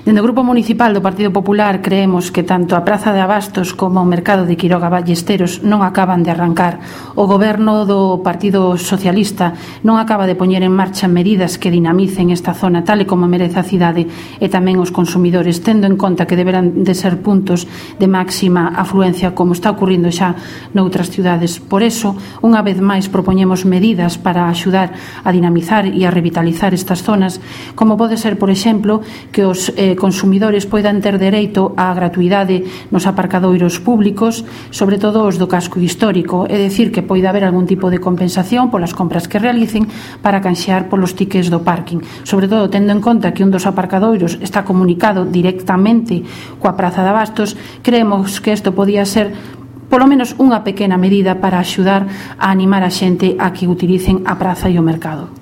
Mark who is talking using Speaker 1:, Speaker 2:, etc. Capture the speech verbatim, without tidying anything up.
Speaker 1: Dende o Grupo Municipal do Partido Popular creemos que tanto a Praza de Abastos como o Mercado de Quiroga Ballesteros non acaban de arrancar. O Goberno do Partido Socialista non acaba de poñer en marcha medidas que dinamicen esta zona tal e como merece a cidade e tamén os consumidores, tendo en conta que deberán de ser puntos de máxima afluencia como está ocurrindo xa noutras cidades. Por eso, unha vez máis propoñemos medidas para axudar a dinamizar e a revitalizar estas zonas, como pode ser, por exemplo, que os eh, consumidores poidan ter dereito á gratuidade nos aparcadoiros públicos, sobre todo os do casco histórico, é dicir, que poida haber algún tipo de compensación polas compras que realicen para canxear polos tickets do parking, sobre todo tendo en conta que un dos aparcadoiros está comunicado directamente coa Praza de Abastos. Creemos que isto podía ser polo menos unha pequena medida para axudar a animar a xente a que utilicen a praza e o mercado.